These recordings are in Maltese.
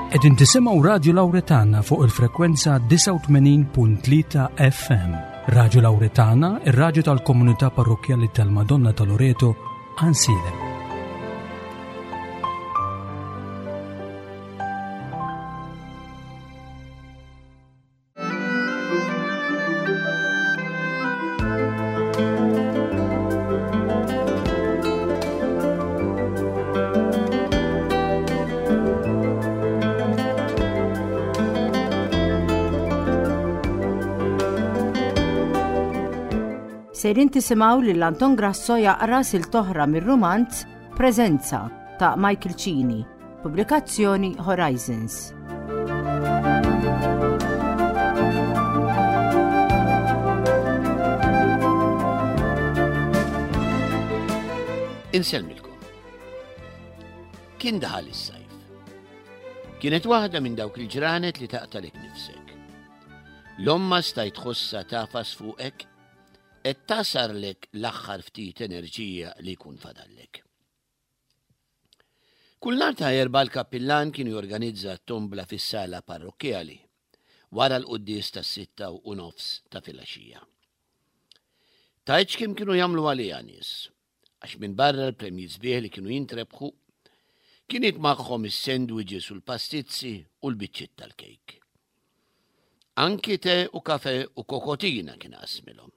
Qegħdin tisimgħu Radju Lawretana fuq il-frekwenza 89.3 FM. Radju Lawretana, ir-radju tal-komunità parrokkjali tal-Madonna ta' Loreto, Ansilem. Sejrin tisimgħu lil Anton Grasso jaqra sil toħra mir-rumanz Preżenza ta' Michael Cini, pubblikazzjoni Horizons. Insellmilkom. Kien daħal is-sajf. Kienet waħda minn dawk il-ġranet li taqtalek nifsek. L-omma stajt tħossha tafas fuqek qed tasarlek l-aħħar ftit enerġija li jkun fadallek. Kull nhar ta' Erbgħa l-kappillan kien jorganizza t-tombla fis-sala parrokkjali wara l-quddies tas-6:30 ta' filgħaxija. Tgħidx kemm kienu jagħmlu għaliha nies, għax minbarra l-premji sbieħ li kienu jintrebħu, kien magħhom is-sandwiches u l-pastizzi u l-biċċiet tal-kejk. Anki te u kafe u kokotina kien qasmilhom.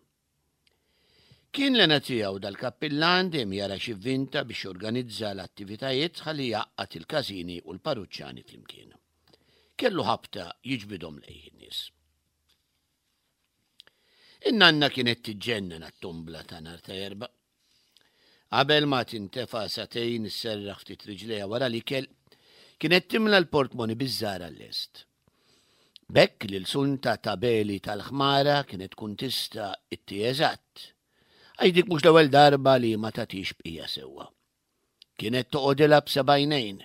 Kien l-hena tiegħu dal-kappillan dejjem jara x'ivvinta biex jorganizza l-attivitajiet ħalli jgħaqqad il-każini u l-parruċċani flimkien. Kellu ħabta jiġbidhom lejh in-nies. In-nanna kienet tiġġennen għat-tombla ta' nhar ta' Erbgħa. Qabel ma tintefa' sagħtejn isserraħ ftit riġlejha wara l-ikel, kienet timla l-portmoni biż-żgħar għal-lest. B'hekk lil Sunta ta' Beli tal-Ħmara kienet tkun tista' itti eżatt. Għax dik mhux l-ewwel darba li ma tagħtix bqija sewwa. Kienet toqgħodilha b'sebgħajnejn.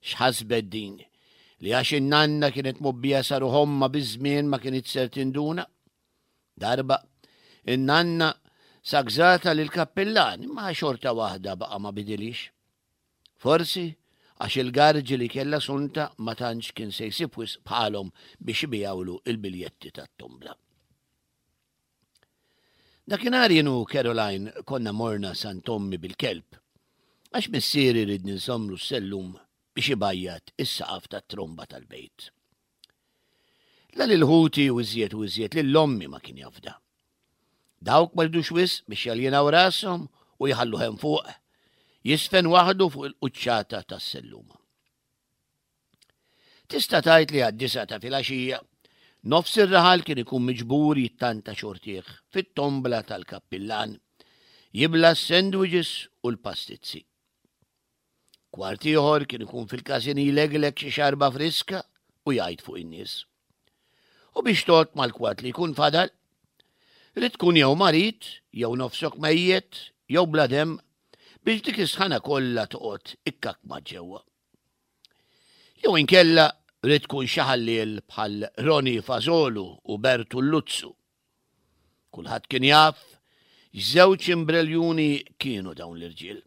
X'ħasbet din? Li għax in-nanna kienet mgħobbija sa ruħ ommha biż-żmien ma kinitx ser tinduna? Darba, in-nanna sagżatha lill-kappillan imma xorta waħda baqa' ma bidilhiex. Forsi għax il-garġi li kellha Sunta ma tantx kien se jsib wisq bħalhom biex ibigħulu l-biljetti tat-tombla. Dakinhar jien u Caroline konna morna Sant Ommi bil-kelb, għax missieri riedni nżommlu s-sellum biex ibajjad is-saqaf tat-tromba tal-bejt. La lil ħuti u iżjed u iżjed lil ommi ma kien jafda. Dawk ma ridux wisq biex jaljenaw rashom u jħalluh hemm fuq, jisfen waħdu fuq il-quċċata tas-selluma. Tista' tgħid li għad-disa ta' filgħaxija, nofs ir-raħal kien ikun miġbur jittanta xortih fit-tombla tal-kappillan, jibla s-sandwiches u l-pastizzi. Kwart ieħor kien ikun fil-każin jlegleg xi xarba friska u jgħid fuq in-nies. U biex tgħodd mal-kwart li jkun fadal, rid tkun jew marid, jew nofsok mejjet, jew bla demm, biex dik is-sħana kollha toqgħod ikkakkma ġewwa. Jew inkella rid tkun xi ħalliel bħal Roni Fażolu u Bertu Luzzu. Kulħadd kien jaf x'żewġ imbreljuni kienu dawn l-irġiel.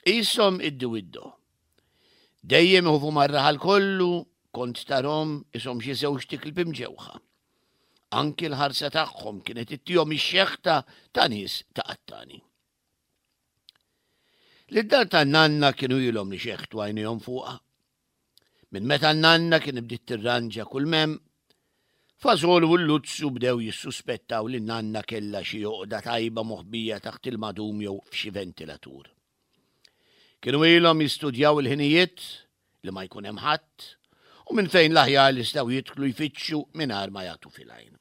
Qishom iddiwiddo. Dejjem iħufu mar-raħal kollu kont tarhom ishom xi żewġ tiklb imġewħa. Anki l-ħarsa tagħhom kienet ittihom ix-xeħta ta' nies ta' qattani. Lid-dar tan-nanna kienu ilhom li xeħtu għajnejhom fuqha. Minn meta n-nanna kien bdiet tirranġa kull m'hemm, Fażol u l-Luzzu bdew jissuspettaw li n-nanna kellha xi għoqda tajba moħbija taħt il-madum jew f'xi ventilatur. Kienu ilhom jistudjaw il-ħinijiet li ma jkun hemm ħadd u minn fejn l-aħjar li jistgħu jidħlu jfittxu mingħajr ma jagħtu fil-għajn.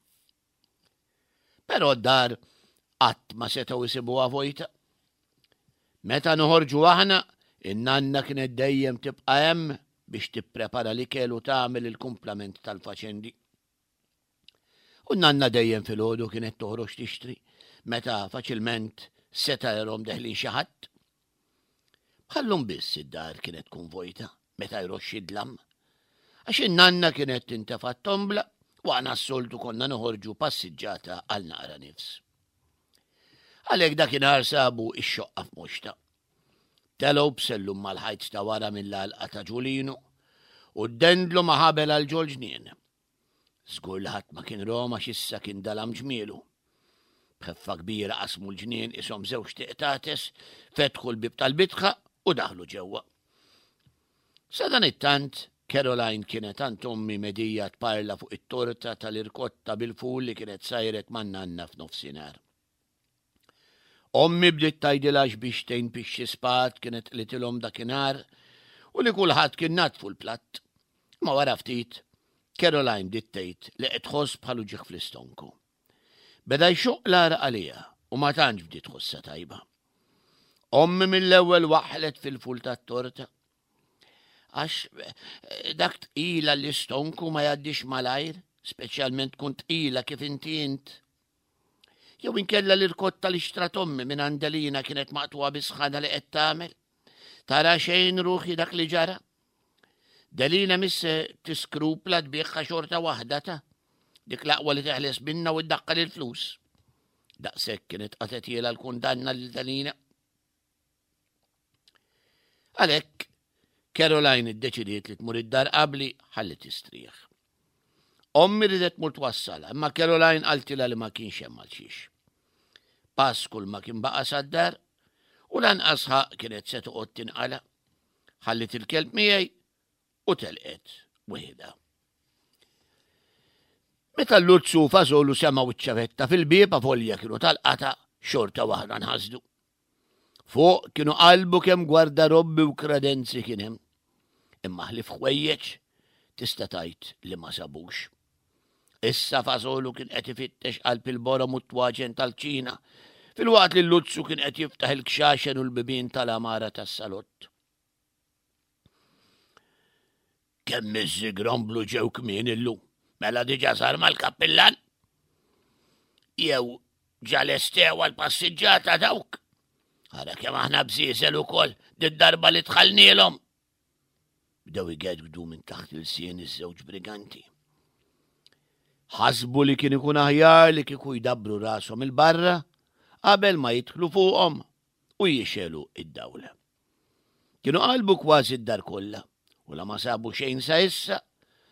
Però d-dar qatt ma setgħu jsibuha vojta. Meta noħorġu aħna, in-nanna kienet dejjem tibqa' hemm biex tipprepara l-ikel u tagħmel il-kumplament tal-faċendi. U n-nanna dejjem filgħodu kienet toħroġ tixtri meta faċilment seta' jarhom deħlin xi ħadd. Bħallum biss id-dar kienet tkun vojta meta jroxx id-dlam. Għax in-nanna kienet tintefa' t-tombla u aħna s-soltu konna noħorġu passiġġata għal naqra nifs. Għalhekk dakinhar sabu x-xoqqa f'moxta. Telgħu b'sellum mal-ħajt ta' wara mill-għalqa ta' Ġulinu. u ddendlu ma' ħabel għal ġol-ġnien. Żgur li ħadd ma kien rahom għax issa kien dalam ġmielu. B'ħeffa kbira qasmu l-ġnien qishom żewġt iqtates, fetħu l-bieb tal-bitħa u daħlu ġewwa. Sadanittant, Caroline kienet għand ommi medija tparla fuq it-torta tal-irkotta bil-ful li kienet sajret man-nanna f'nofsinhar. Ommi bdiet tgħidilha x'biex tgħin pixxi spad kienet qlitilhom dakinhar u li kulħadd kien naddfu l-platt. Imma wara ftit, Caroline bdiet tgħid li qed tħoss bħal uġigħ fl-istonku. Beda jxoqq l-għaraq għaliha u ma tantx bdiet tħossha tajba. Ommi mill-ewwel waħħlet fil-ful tat-torta. Għax eh, dak tqila l-istonku ma jgħaddix malajr, speċjalment tkun tqila kif inti int. Jew inkella l-irkotta li xtrat ommi minn Andelina kienet maqtuha bis-sħana li qed tagħmel. Tara xejn ruħi dak li ġara? Delina misse tiskrupla tbieħha xorta waħda ta' dik l-aqwa li teħles minna u ddaqqal il-flus. Daqshekk kienet qatetiela l-kundanna lil Delina. Għalhekk, Caroline iddeċidiet li tmur id-dar qabli ħalli tistrieħ. Ommi ridet tmur twassalha, imma Caroline qaltilha li ma kienx hemm għal xiex. Pass kull ma kien baqa' sad-dar u lanqas ħaq kienet se toqgħod tinqala. Ħallit il-kelb miegħi u telqet weħidha. Meta l-Luzzu u Fażolu semgħu ċ-ċavetta fil-bieb avolja kienu tal-qata xorta waħda nħasdu. Fuq kienu qalbu kemm gwardarobbi u kredenzi kien hemm. Imma ħlief ħwejjeġ tista' tgħid li ma sabux. Issa Fażolu kien qed ifittex qalb il-borom u t-twaġen tal-kċina, filwaqt li l-Luzzu kien qed jiftaħ il-kxaxen u l-bibien tal-għamara tas-salott. Kemm iż-żigromblu ġew kmieni llum. Mela diġà sar mal-kappillan? Jew ġa lestew għall-passiġġata dawk? Ara kemm aħna bżieżel ukoll did-darba li dħalnielhom. Bdew igedgdu minn taħt il-sien iż-żewġ briganti. Ħasbu li kien ikun aħjar li kieku jdabbru rashom il-barra qabel ma jidħlu fuqhom u jixelu id-dawl. Kienu qalbu kważi d-dar kollha u la ma sabu xejn sa issa,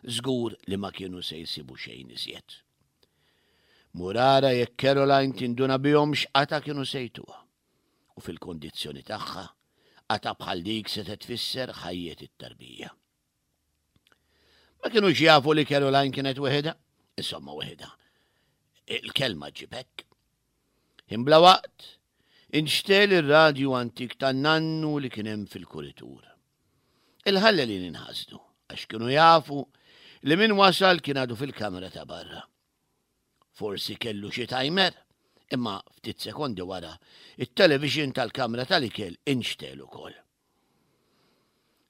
żgur li ma kienu se jsibu xejn iżjed. Mur ara jekk Caroline tinduna bihom x'qatgħa kienu se jtuha. U fil-kondizzjoni tagħha, qatgħa bħal dik setgħet tfisser ħajjet it-tarbija. Ma kinux jafu li Caroline kienet weħidha, insomma weħidha. Il-kelma ġġib hekk. Imbla waqt, inxtel ir-radju antik tan-nannu li kien hemm fil-kuritur. Il-ħallelin inħasdu għax kienu jafu li min wasal kien għadu fil-kamra ta' barra. Forsi kellu xi timer, imma ftit sekondi wara, it-television tal-kamra tal-ikel inxtel ukoll.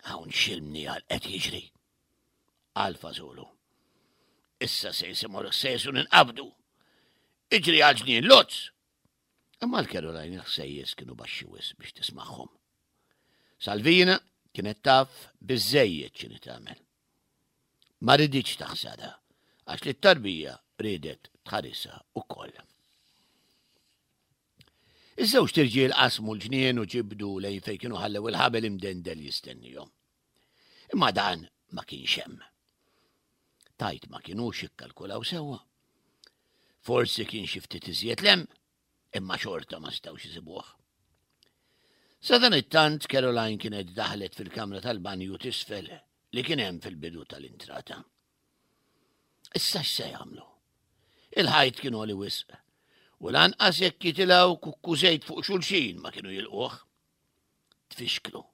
Hawn x'il-mniegħal qed jiġri? Qal Fażolu. Issa se jisimgħu l-ħsejjes u ninqabdu. Iġri għal ġnien Lutz! Imma l-Caroline il-ħsejjes kienu baxxi wisq biex tismagħhom. Salvina kienet taf biżżejjed x'inhi tagħmel. Ma riditx taħsarha għax li t-tarbija riedet tħarisha ukoll. Iż-żewġt irġiel qasmu l-ġnien u ġibdu lejn fejn kienu ħallew il-ħabel imdendel jistennihom. Imma dan ma kienx hemm. Tajt ma kinux ikkalkulaw sewwa. Forsi kien xi ftit iżjed lem, imma xorta ma setgħux isibuh. Sadanittant Caroline kienet daħlet fil-kamra tal-banju t'isfel li kien hemm fil-bidu tal-intrata. Issa x'se jagħmlu? Il-ħajt kien għoli wisq u lanqas jekk jitilgħu kukkużejt fuq xulxin ma kienu jilquh. Tfixklu.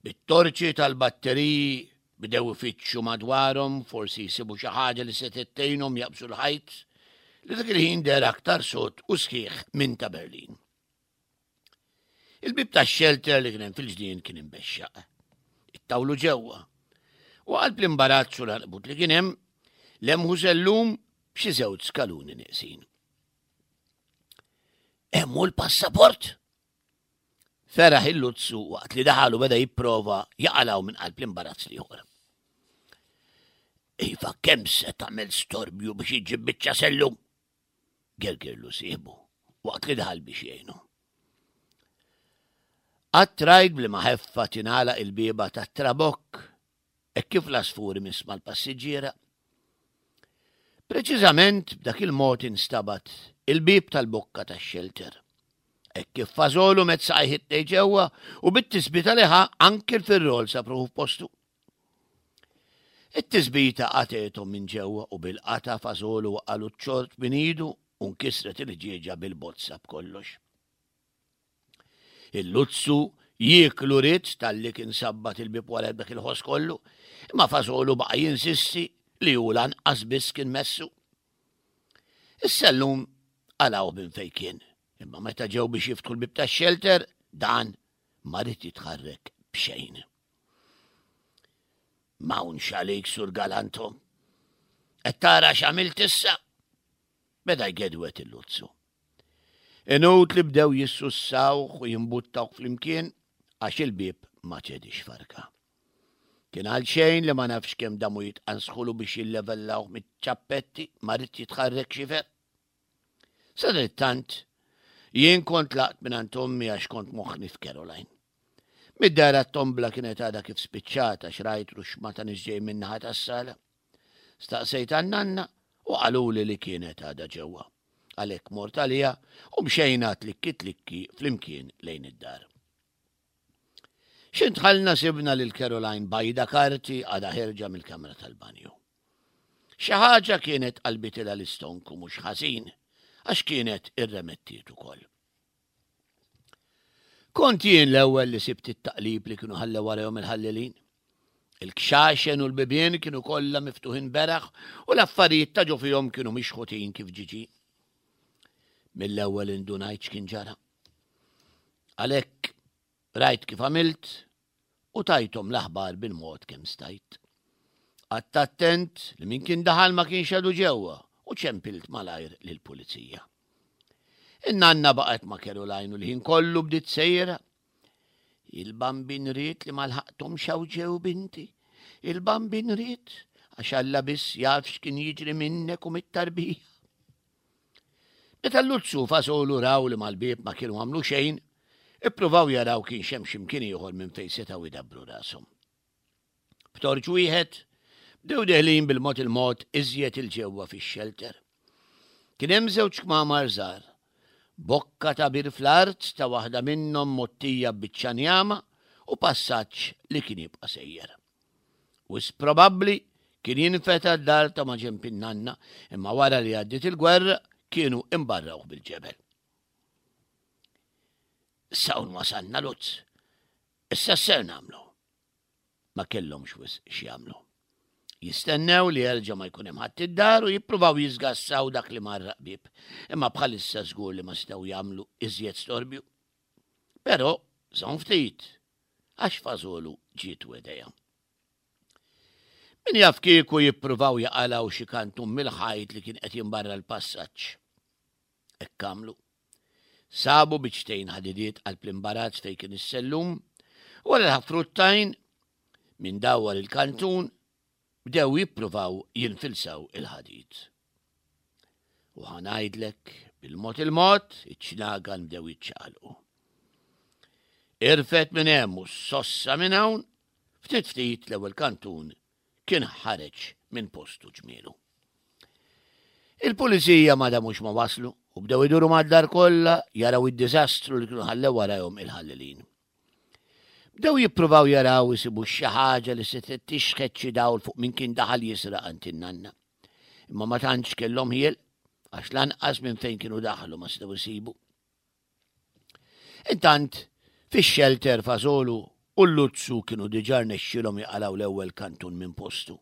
Bit-torċi tal-batteriji bdew ifittxu madwarhom forsi jsibu xi ħaġa li setgħet tgħinhom jaqbżu l-ħajt li dak il-ħin deher aktar sod u sħiħ minn ta' Berlin. Il-bib tax-xelter li kien hemm fil-ġnien kien imbexxaq. Ittawlu ġewwa. U qalb l-imbarazz u l-għanqbut li kien hemm, lemħu sellum b'xi żewġ skaluni neqsin. Hemm hu l-passaport? Feraħ il-luzzu waqt li daħal u beda jipprova jaqalgħu minn qalb l-imbarazz l-ieħor. Iva, kemm se tagħmel storbju biex iġġib biċċa sellum? Gergirlu sieħbu waqt li daħal biex jgħinu. Qatt rajt bli ma ħeffa tingħalaq il-bieba tat-trabokk? Hekk kif l-għasfur imiss mal-passiġġiera. Preċiżament b'dak il-mod instabat il-bieb tal-bokka tax-xelter. Hekk kif fażolu met saqajh it ġewwa u bit-tisbita li ħa anki l-firrol sab ruħu f'postu. It-tisbita qatgħethom minn ġewwa u bil-qatgħa fażolu waqalu ċ-ċort minn idu u nkisret il-ħġieġa bil-bozza b'kollox. Il-luzzu jieklu ried talli kien sabbat il-bieb wara dak il-ħoss kollu, imma Fażolu baqa' jinsisti li hu lanqas biss kien messu. Is-sellum qalgħuh minn fejn kien, imma meta ġew biex jiftħu l-bieb tax-xelter, dan ma ried jitħarrek b'xejn. M'hawnx għalik, Sur Galantom. Qed tara x'għamilt issa? Beda jgedwet il-luzzu. Inutli bdew jissussawh u jimbuttawh flimkien għax il-bieb ma ċediex farka. Kien għalxejn li ma nafx kemm damu jitqansħulu biex jillevellawh miċ-ċappetti ma ried jitħarrek xifer. Sadanittant, jien kont tlaqt mingħand ommi għax kont moħħni f'Caroline. Mid-dehra t-tombla kienet għadha kif spiċċat għax rajt ruxma ta' nies ġej min-naħa tas-sala. Staqsejt għan-nanna u qaluli li kienet għadha ġewwa. Għalhekk mort għaliha u mxejna tlikki tlikki flimkien lejn id-dar. X'int dħalna sibna lil Caroline bajda karti għadha ħerġa mill-kamra tal-banju. Xi ħaġa kienet qalbitilha l-istonku mhux ħażin għax kienet irremettiet ukoll. Kont jien l-ewwel li sibt it-taqlib li kienu ħallew warajhom il-ħallelin. Il-kxaxen u l-bibien kienu kollha miftuħin beraħ u l-affarijiet ta' ġo fihom kienu mixħutin kif ġiġi. Mill-ewwel indunajt x'kien ġara. Għalhekk rajt kif għamilt u tajthom l-aħbar bil-mod kemm stajt. Qgħadt attent li min kien daħal ma kienx għadu ġewwa u ċempilt malajr lill-pulizija. In-nanna baqgħet ma' Caroline u l-ħin kollu bdiet sejra. Il-bambin ried li ma lħaqthomx hawn ġew binti. Il-bambin ried għax Alla biss jaf x'kien jiġri minnek u mit-tarbija. Meta l-Luzzu Fasolu raw li mal-bieb ma kienu għamlu xejn, ippruvaw jaraw kienx hemm xi mkien ieħor minn fejn setgħu jdabbru rashom. B'torċ wieħed, bdew deħlin bil-mod il-mod iżjed 'il ġewwa fix-xelter. Kien hemm żewġ kmamar żgħar, bokka ta' bir fl-art ta' waħda minnhom mgħottija b'biċċa njama u passaġġ li kien jibqa' sejjer. Wisq probabbli kien jinfeta d-dar ta' maġenb in-nanna imma wara li għaddiet il-gwerra kienu imbarrawh bil-ġebel. Issa hawn wasalna Lutz. Issa x'ser nagħmlu? Ma kellhomx wisq x'jagħmlu. Jistennew li jerġa' ma jkun hemm ħadd id-dar u jippruvaw jiżgassaw dak li marraq bieb, imma bħalissa żgur li ma setgħu jagħmlu iżjed storbju. Però żomm ftit, għax fażolu ġietu idea. Min jaf kieku jippruvaw jaqalgħu xi kantun mill-ħajt li kien qed jimbarra l-passaġġ. Hekk għamlu. Sabu biċċtejn ħadidiet qalb l-imbarazz fejn kien is-sellum, u wara li ħafru t-tajn minn dawwar il-kantun, bdew jippruvaw jinfilsaw il-ħadid. U ħa ngħidlek, bil-mod il-mod, iċ-ċnagan bdew jiċċaqalqu. Irfed minn hemm u sossa minn hawn, ftit ftit l-ewwel kantun kien ħareġ minn postu ġmielu. Il-pulizija ma damux ma waslu u bdew iduru mad-dar kollha jaraw id-diżastru li kienu ħallew warajhom il-ħallelin. Bdew jippruvaw jaraw isibu xi ħaġa li setgħet tixħet xi dawl fuq min kien daħal jisraq għand in-nanna. Imma ma tantx kellhom ħiel għax lanqas minn fejn kienu daħlu ma setgħu jsibu. Intant, fix-xelter Fażolu u l-Luzzu kienu diġà rnexxielhom jaqalgħu l-ewwel kantun minn postu.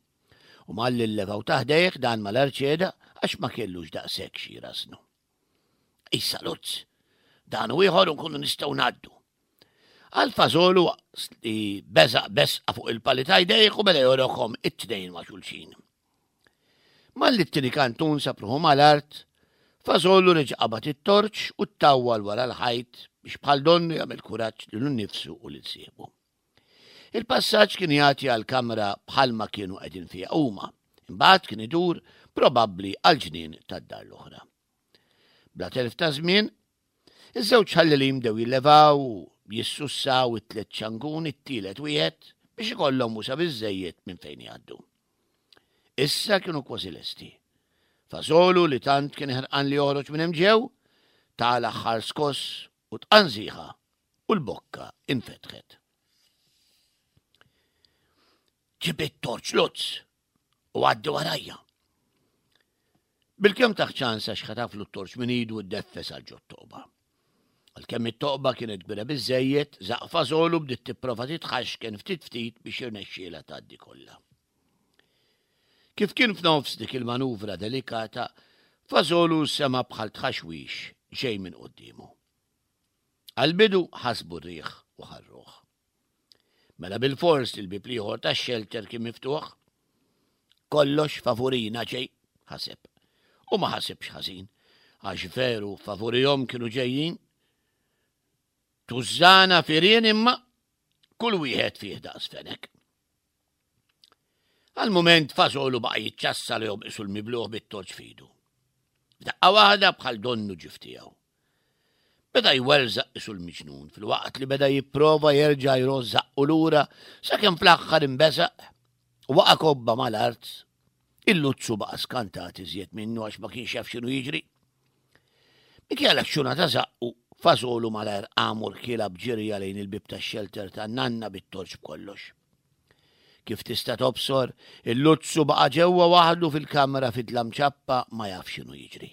U malli llevaw ta' ħdejh dan mal-arċeda għax ma kellux daqshekk xi jrażżnu. Issa Luzz, dan u ieħor u nkunu nistgħu ngħaddu. Għal fażolu li beżaq besqa fuq il-pali ta' jdejh u beda jorokhom it-tnejn ma' xulxin. Malli t-tieni kantun sab ruħu mal-art, Fażolu reġa' qabad it-torċ u ttawwal wara l-ħajt biex bħal donnu jagħmel kuraġġ lilu nnifsu u lil sieħbu. Il-passaġġ kien jagħti għal kamra bħalma kienu qegħdin fiha huma, imbagħad kien idur probabbli għall-ġnien tad-dar l-oħra. Bla telf ta' żmien, Iż-żewġ ħallelin bdew jillevaw u jissussaw it-tliet ċanguni, it-tielet wieħed. biex ikollhom wusa' biżżejjed minn fejn jgħaddu. Issa kienu kważi lesti. Fażolu li tant kien ħerqan li joħroġ minn hemm ġew, ta l-aħħar skoss u tqanżiħa u l-bokka infetħet. Ġib it-torċ Lutz u għaddi warajja. Bilkemm taħ ċans għax ħataflu t-torċ minn idu u ddeffes għal ġot-toqba. Għalkemm it-toqba kienet kbira biżżejjed, żaqfa solu bdiet tipprova titħaxken ftit ftit biex jirnexxielha tgħaddi kollha. Kif kien f'nofs dik il-manuvra delikata, Fażolu sema' bħal tħaxwix ġej minn quddiemu. Għall-bidu ħasbu r-riħ u ħarruh. Mela bilfors li l-bieb l-ieħor tax-xelter kien miftuħ. Kollox favurina ġej, ħaseb. U ma ħasibx ħażin, għax veru favurihom kienu ġejjin. Tużżana firien imma kull wieħed fih daqs fenek. Għal mument Fażolu baqa' jiċċassa li jobqisu l-mibluħ bit-torċ f'idu. F'daqqa waħda bħal donnu ġif tiegħu. Beda jwerżaq isu l-miġnun filwaqt li beda jipprova jerġa' jroż żaqqu lura sakemm fl-aħħar inbeżaq u waqa' kobba mal-art. Il-luzzu baqa' skantat iżjed minnu għax ma kienx jaf x'inhu jiġri. Minkejja l-aċċuna ta' żaqqu, Fażolu malajr qam u rkielha b'ġirja lejn il-bieb tax-xelter tan-nanna bit-torċ b'kollox. Kif tista' tobsor, il-luzzu baqa' ġewwa waħdu fil-kamra fid-dlam ċappa ma jaf x'inhu jiġri.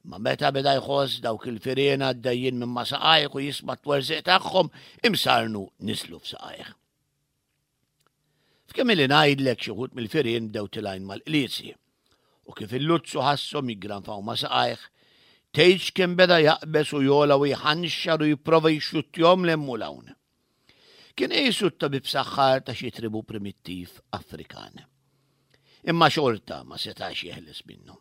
Imma meta beda jħoss dawk il-firien għaddejjin minn ma' saqajh u jisma' t-twerżiq tagħhom, imsarnu niżlu f'saqajh. F'kemm ili ngħidlek xi wħud mill-firien bdew tilgħin mal-qliezi. U kif il-luzzu ħasshom jiggranfaw ma' saqajh, tgħidx kemm beda jaqbeż u jogħla u jħanxar u jipprova jixxuttjhom 'l hemm u 'l hawn. Kien qisu t-tabib saħħar ta' xi tribu primittiv Afrikan. Imma xorta ma setax jeħles minnhom.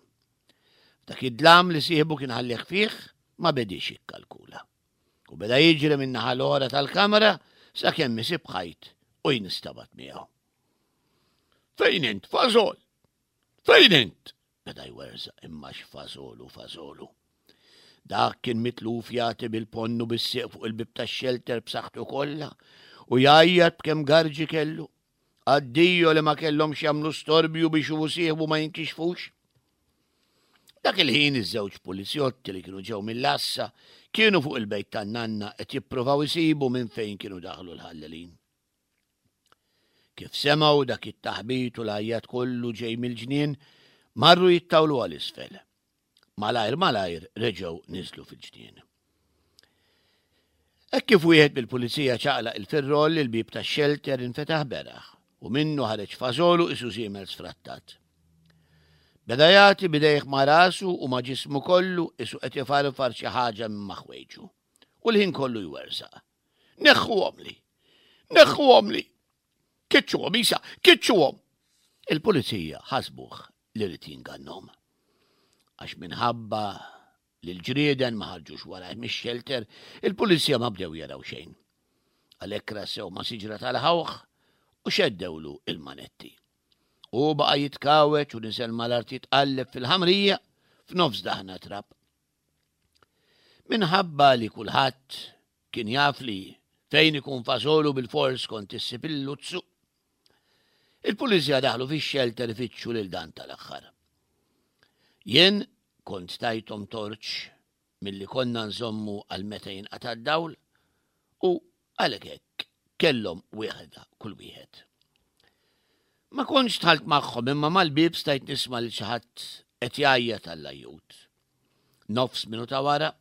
F'dak id-dlam li sieħbu kien ħallih fih ma bediex jikkalkula. U beda jiġri min-naħa l-oħra tal-kamra sakemm isib ħajt u jinstabat miegħu. Fejn int, fażol? Fejn int? Beda jwerżaq imma x'fażolu fażolu. Dak kien mitluf jagħti bil-ponnu bis-sieq fuq il-bib tax-xelter b'saħħtu kollha u jgħajjat b'kemm garġi kellu. Addio li ma kellhomx jagħmlu storbju biex hu sieħbu ma jinkixfux. Dak il-ħin iż-żewġ pulizjotti li kienu ġew mill-għassa kienu fuq il-bejt tan-nanna qed jippruvaw isibu minn fejn kienu daħlu l-ħallelin. Kif semgħu dak it-taħbit u l-għajjat kollu ġej mill-ġnien, marru jittawlu għal isfel. Malajr malajr reġgħu niżlu fil-ġnien. Hekk kif wieħed mill-pulizija ċaqlaq il-firroll, il-bieb tax-xelter infetaħ beraħ u minnu ħareġ fażolu qisu żiemel sfrattat. Beda jagħti b'idejh ma' rasu u ma' ġismu kollu qisu qed ifarfar xi ħaġa minn ma' ħwejġu. U l-ħin kollu jwerżaq. Neħħuhomli! Neħħuhomli! Kiċċuhom isa, kiċċuhom! Il-pulizija ħasbuh li ried jingannhom. Għax minħabba li l-ġrieden ma ħarġux warajh mix-xelter, il-pulizija ma bdew jaraw xejn. Għalhekk rassew ma' siġra tal-ħawħ u xeddewlu il-manetti. Hu baqa' jitkawweġ u niżel mal-art jitqalleb fil-ħamrija f'nofs daħna trab. Minħabba li kulħadd kien jaf li fejn ikun fażolu bilfors kont issib il-luzzu, il-pulizija daħlu fix-xelter ifittxu lil dan tal-aħħar. Jien kont tajthom torċ milli konna nżommu għal meta jinqata' d-dawl u għalhekk hekk kellhom wieħda kull wieħed. Ma kontx dħalt magħhom imma mal-bieb stajt nisma' lil xi ħadd qed jgħajjat għall-ajjut. Nofs minuta wara,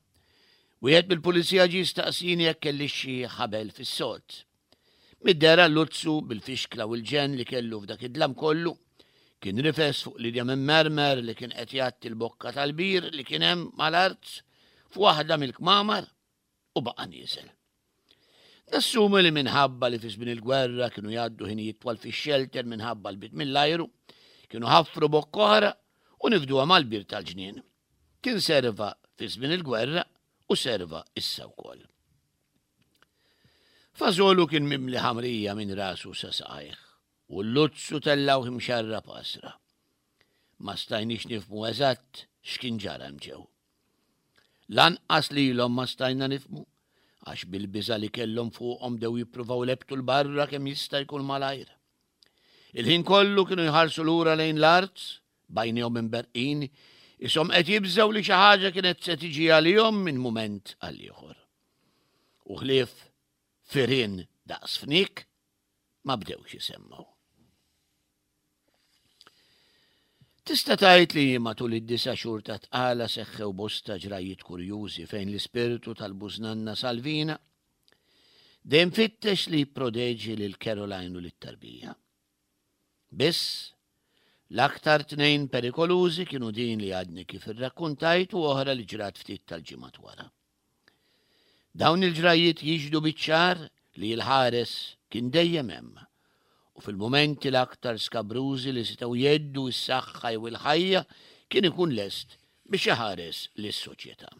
wieħed mill-pulizija ġie jistaqsini jekk kellix xi ħabel fis-sod. Mid-dehra l-luzzu, bil-fixkla u l-ġenn li kellu f'dak id-dlam kollu, kien rifes fuq linja minn mermer li kien qed jgħatti l-bokka tal-bir li kien hemm mal-art f'waħda mill-kmamar u baqa' nieżel. Nassumi li minħabba li fi żmien il-gwerra kienu jgħaddu ħinijiet twal fix-xelter minħabba l-bit mill-ajru, kienu ħaffru bokka oħra u nifduha mal-bir tal-ġnien. Kien serva fi żmien il-gwerra u serva issa wkoll. Fażolu kien mimli ħamrija minn rasu sa saqajh u l-luzzu tellgħuh imxarrab għasra. Ma stajniex nifhmu eżatt x'kien ġara hemm ġew. Lanqas lilhom ma stajna nifhmu. Għax bil-biża' li kellhom fuqhom bdew jippruvaw ilebbtu 'l barra kemm jista' jkun malajr. Il-ħin kollu kienu jħarsu lura lejn l-art, b'għajnejhom imberrqin, ishom qed jibżgħu li xi ħaġa kienet se tiġi għalihom minn mument għal ieħor. U ħlief firien daqs fniek ma bdewx isemmgħu. Tista' tgħid li matul id-disa' xhur ta' tqala seħħew bosta ġrajjiet kurjużi fejn l-ispirtu tal-bużnanna Salvina dejjem fittex li jipprodeġi lil Caroline u lit-tarbija. Biss, l-aktar tnejn perikolużi kienu din li għadni kif irrakkuntajt u oħra li ġrat ftit tal-ġimgħat wara. Dawn il-ġrajjiet jixhdu biċ-ċar li l-ħares kien dejjem hemm u fil-mumenti l-aktar skabrużi li setgħu jheddu s-saħħa jew il-ħajja kien ikun lest biex iħares lis-soċjetà.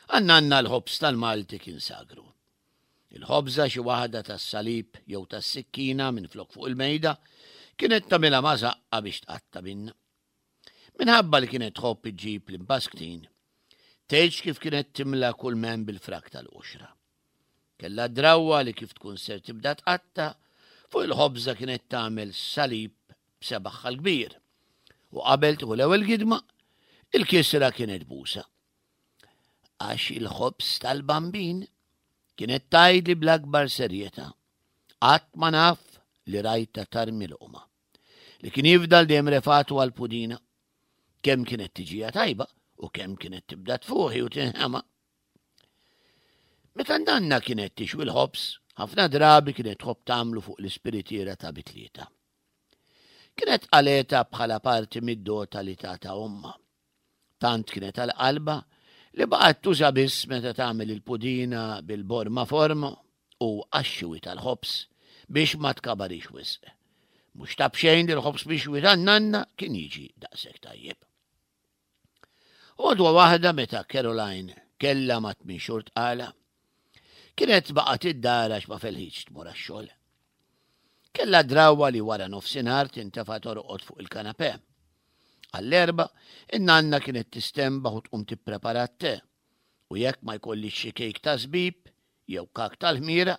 Għan-nanna l-ħobż tal-Malti kien sagru. Il-ħobża xi waħda tas-salib jew tas-sikkina minflok fuq il-mejda kienet tagħmilha ma' żaqqha biex tqatta' minnha. Minħabba li kienet tħobb iġġib l-imbasktin, tgħidx kif kienet timla kull m'hemm bil-frak tal-qoxra. Kellha d-drawwa li kif tkun ser tibda tqatta', fuq il-ħobża kienet tagħmel salib b'sebaħha l-kbir. U qabel tieħu l-ewwel gidma, il-kisra kienet busa. Għax il-ħobż tal-bambin kienet tgħidli bl-akbar serjetà. Qatt ma naf li rajtha tarmi loqma. Li kien jifdal dejjem refatu għall-pudina. Kemm kienet tiġija tajba u kemm kienet tibda tfuħi u tinħema. Meta nanna kienet tixwi l-ħobż, ħafna drabi kienet tħobb tagħmlu fuq l-ispiritiera ta' bitlieta. Kienet qaleta bħala parti mid-dota li tata omma. Tant kienet għal qalbha li baqgħet tuża biss meta tagħmel il-pudina bil-borma forma u għax-xiwi tal-ħobż biex ma tkabarix wisq. Mhux ta' b'xejn li l-ħobż mixwi tan-nanna kien jiġi daqshekk tajjeb. Għodwa waħda meta Caroline kellha ma' tmien xhur tqala, kienet baqgħet id-dar għax ma felħitx tmur għax-xogħol. Kellha drawwa li wara nofsinhar tintefa' torqod fuq il-kanapè. Għall-erbgħa, in-nanna kienet tistenbaħ u tqum tipprepara t-te, u jekk ma jkollhiex xi kejk ta' żbib jew kak tal-ħmira,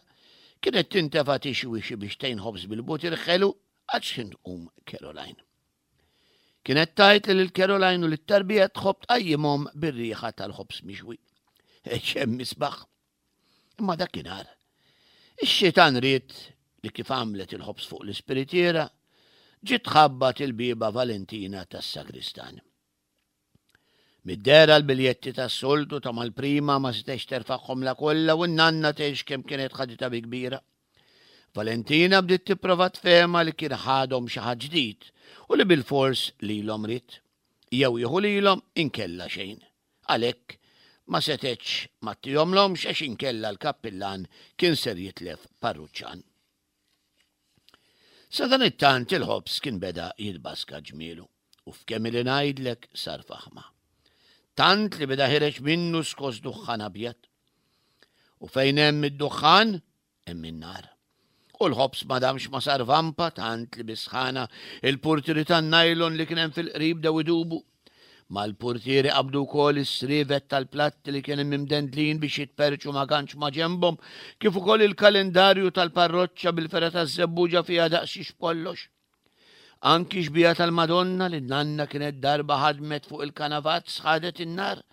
kienet tintefa' tixwi xi bixtejn ħobż bil-butir ħelu għal x'ħin tqum Caroline. Kienet tgħid li lil Caroline u lit-tarbija tħobb tqajjimhom bir-riħa tal-ħobż mixwi. X'hemm isbaħ! Imma dakinhar, ix-xitan ried li kif għamlet il-ħobż fuq l-ispiritiera, ġiet tħabbat il-bieba Valentina tas-sagristan. Mid-dehra l-biljetti tas-soltu ta' mal-prima ma setgħetx terfagħhomlha kollha u n-nanna tgħix kemm kienet ħaditha bi kbira. Valentina bdiet tipprova tfehmha li kien ħadhom xi ħadd ġdid u li bilfors lilhom ried. Jew jieħu lilhom inkella xejn. Għalhekk, ma setgħetx ma ttihomlhomx għax inkella l-kappillan kien ser jitlef parruċċan. Sadanittant il-ħobż kien beda jitbaska ġmielu u f'kemm ili ngħidlek sar faħma. Tant li beda ħireġ minnu skos duħħan abjad. U fejn hemm id-duħħan, hemm in-nar. U l-ħobż ma damx ma sar vampa tant li bis-sħana il-purtieri tan-najlon li kien hemm fil-qrib bdew idubu. Mal-purtieri qabdu wkoll is-srievet tal-platti li kien hemm imdendlin biex jitperrċu ma' ganċ ma' ġenbhom, kif ukoll il-kalendarju tal-parroċċa bil-fergħa taż-żebbuġa fiha daqs xiex b'kollox. Anki xbieha tal-Madonna li n-nanna kienet darba ħadmet fuq il-kanavazz ħadet in-nar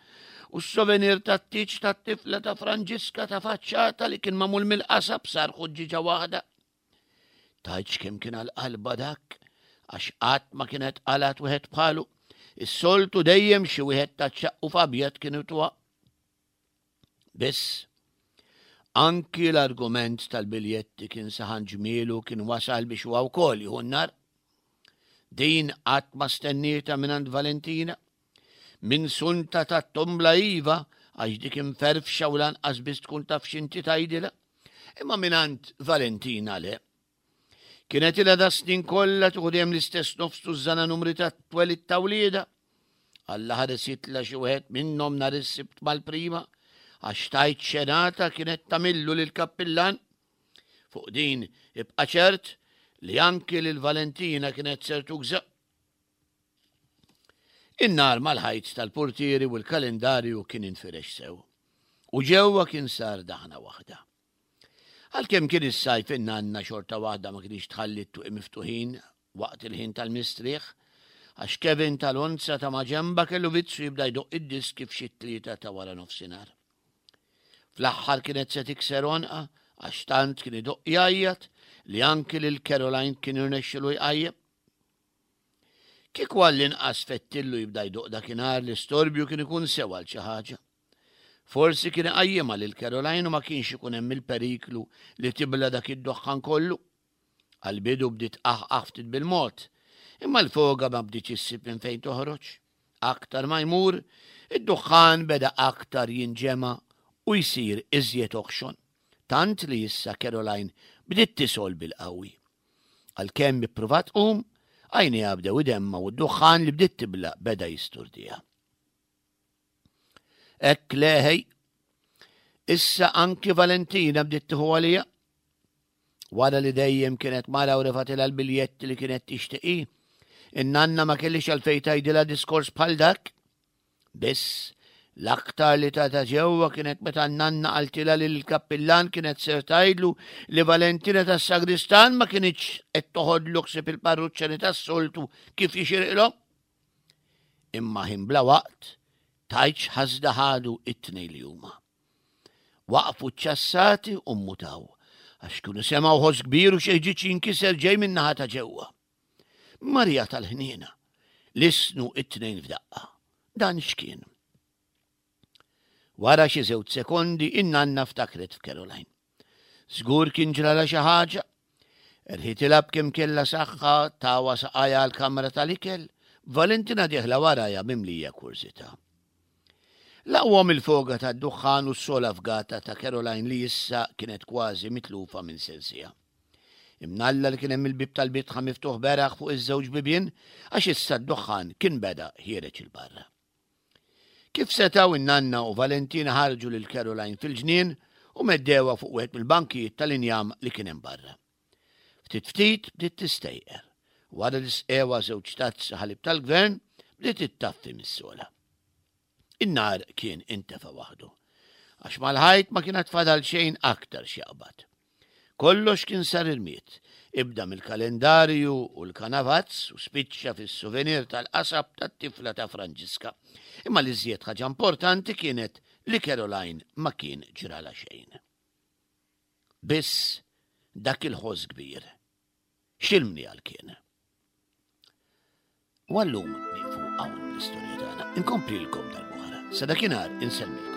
u s-souvenir tat-tieġ tat-tifla ta' Franġiska ta' faċċata li kien magħmul mill-qasab sar ħuġġiġa waħda. Tgħidx kemm kien għal qalba dak għax qatt ma kienet qalat wieħed bħalu. Is-soltu dejjem xi wieħed ta' ċaqqu f'abjad kienu tuha. Biss, anki l-argument tal-biljetti kien saħan ġmielu kien wasal biex huwa wkoll jieħu n-nar. Din qatt ma stennietha mingħand Valentina. Minn sunta tat-tombla iva, għax dik imferfxa u lanqas biss tkun taf x'inti tgħidilha. Imma mingħand Valentina le. Kienet ilha da snin kollha tieħu dejjem l-istess nofs tużżana numri ta' twelid ta' wliedha. Alla ħares jitla' xi wieħed minnhom nhar is-Sibt mal-prima, għax tgħid xenata kienet tagħmillu lill-kappillan. Fuq din ibqa' ċert li anki lil Valentina kienet ser tugża. In-nar mal-ħajt tal-purtieri u l-kalendarju kien infirex sew. U ġewwa kien sar daħna waħda. Għalkemm kien is-sajf in-nanna xorta waħda ma kienx tħalli t-tuqi miftuħin waqt il-ħin tal-mistrieħ, għax Kevin tal-Onza ta' maġenba kellu vizzju jibda jdoqq id-diski f'xi t-tlieta ta' wara nofsinhar. Fl-aħħar kienet se tikser għonqha għax tant kien idoqq jgħajjat li anki lil Caroline kien irnexxilu jqajjem. Kieku għall-inqas fettillu jibda jdoqq dakinhar l-istorbju kien ikun sew għal xi ħaġa. Forsi kien iqajjimha lil Caroline u ma kienx ikun hemm il-periklu li tibla dak id-duħħan kollu. Għall-bidu bdiet tqaħqaħ ftit bil-mod, imma l-foga ma bdietx issib minn fejn toħroġ. Aktar ma jmur, id-duħħan beda aktar jinġema' u jsir iżjed oħxon, tant li issa Caroline bdiet tisgħol bil-qawwi. Għalkemm ippruvat tqum, għajnejha bdew idemmgħu u d-duħħan li bdiet tibla' beda jisturdiha. Hekk leħej. Issa anki Valentina bdiet tieħu għalija. Wara li dejjem kienet mara u refatilha l-biljetti li kienet tixtieqi, in-nanna ma kellix għalfejn tgħidilha diskors bħal dak. Biss, l-aktar li tata ġewwa kienet meta n-nanna qaltilha li l-kappillan kienet ser tgħidlu li Valentina tas-sagristan ma kinitx qed toħodlu ħsieb il-parruċċani tas-soltu kif jixirqilhom. Imma ħin bla waqt, tgħidx ħasda ħadu it-tnejn li huma. Waqfu ċċassati u mmutaw, għax kienu semgħu ħoss kbir u xi ħġieġ jinkiser ġej min-naħa ta' ġewwa. Marija tal-ħniena, lissnu it-tnejn f'daqqa. Dan x'kien? Wara xi żewġ sekondi in-nanna ftakret f'Caroline. Żgur kien ġralha xi ħaġa. Erħitilha b'kemm kellha saħħa tawa saqajha għall-kamra tal-ikel, b'Valentina dieħla warajha mimlija kurżità. Laqwhom il-foga tad-duħħan u s-sola fgata ta' Caroline li issa kienet kważi mitlufa minn sensiha. Imnalla li kien hemm il-bieb tal-bitħa miftuħ beraħ fuq iż-żewġ bibien għax issa d-duħħan kien beda ħiereġ 'il barra. Kif setgħu in-nanna u Valentina ħarġu lil Caroline fil-ġnien u meddewha fuq wieħed mill-bankijiet tal-injam li kien hemm barra. Ftit ftit bdiet tistejqer. Wara li sqewha żewġ tazzi ħalib tal-gvern, bdiet ittaffi mis-sola. In-nar kien intefa' waħdu. Għax mal-ħajt ma kien għad fadal xejn aktar x'jaqbad. Kollox kien sar irmied, ibda mill-kalendarju u l-kanavazz u spiċċa fis-souvenir tal-qasab tat-tifla ta' Franġiska. Imma l-iżjed ħaġa importanti kienet li Caroline ma kien ġralha xejn. Biss dak il-ħoss kbir. X'il-mniegħal kien? U għallum nieqfu hawn l-istorja tagħna. Inkomplilkom darb'oħra. Sa dakinhar insellmilkom.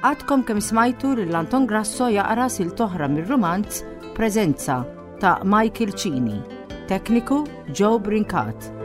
Għadkom kemm smajtu lil Anton Grasso jaqra sil toħra mir-rumanz Preżenza ta' Michael Cini. Tekniku Joe Brincat.